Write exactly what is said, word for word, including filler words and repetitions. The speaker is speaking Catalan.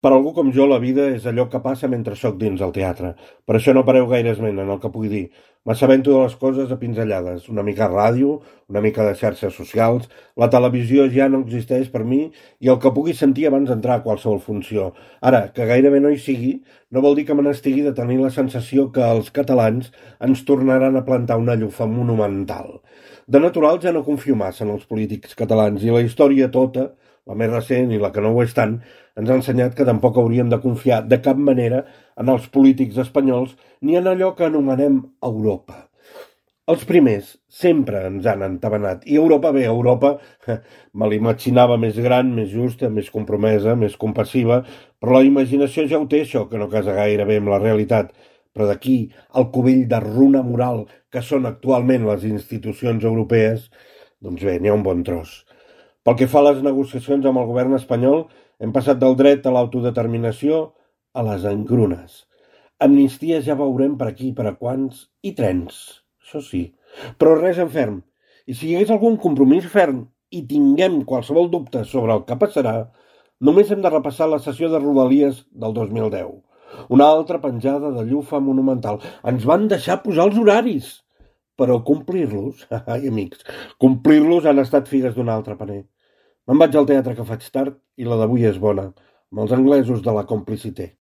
Per algú com jo, la vida és allò que passa mentre sóc dins el teatre. Per això no pareu gaire esment en el que pugui dir. M'assabento de les coses a pinzellades. Una mica ràdio, una mica de xarxes socials. La televisió ja no existeix per mi i el que pugui sentir abans d'entrar a qualsevol funció. Ara, que gairebé no hi sigui, no vol dir que me n'estigui de tenir la sensació que els catalans ens tornaran a plantar una llufa monumental. De natural ja no confio massa en els polítics catalans i la història tota, la més recent i la que no ho és tant, ens ha ensenyat que tampoc hauríem de confiar de cap manera en els polítics espanyols ni en allò que anomenem Europa. Els primers sempre ens han entabanat. I Europa, bé, Europa me l'imaginava més gran, més justa, més compromesa, més compassiva, però la imaginació ja ho té, això, que no casa gaire bé amb la realitat. Però d'aquí al cubell de runa moral que són actualment les institucions europees, doncs bé, n'hi ha un bon tros. Pel que fa a les negociacions amb el govern espanyol, hem passat del dret a l'autodeterminació a les engrunes. Amnisties ja veurem per aquí, per a quants, i trens, això sí. Però res en ferm. I si hi hagués algun compromís ferm i tinguem qualsevol dubte sobre el que passarà, només hem de repassar la sessió de Rodalies del dos mil deu. Una altra penjada de llufa monumental. Ens van deixar posar els horaris. Però complir-los, ai amics, complir-los han estat figues d'un altre paner. Me'n vaig al teatre que faig tard i la d'avui és bona, amb els anglesos de la complicité.